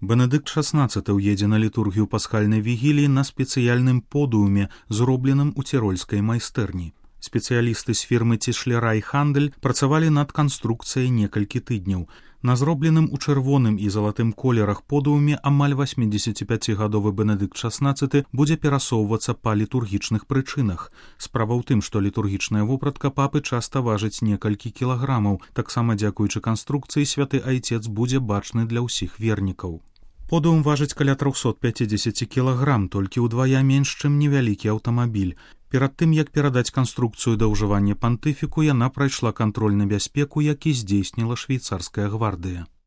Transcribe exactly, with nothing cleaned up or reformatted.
Бенедыкт шаснаццаты ўедзе на літургію пасхальнай вігіліі на спецыяльным подыуме, зробленым у цірольскай майстэрні. Спецыялісты з фірмы Цішлера і Хандель працавалі над канструкцыяй некалькі тыдняў. На зробленым у чырвоным і залатым колерах подыуме амаль васьмідзесяціпяцігадовы Бенедыкт шаснаццаты будзе перасоўвацца па літургічных прычынах. Справа ў тым, што літургічная вопратка папы часта важыць некалькі кілаграмаў. Таксама дзякуючы канструкцыі святы айцец будзе бачны для ўсіх вернікаў. Подыум важыць каля трохсот пяцідзесяці кілаграм, толькі ўдвая менш, чым невялікі аўтамабіль. Перад тым, як перадаць канструкцыю да ўжывання пантыфіку, яна прайшла кантроль на бяспеку, які здзейсніла швейцарская гвардыя.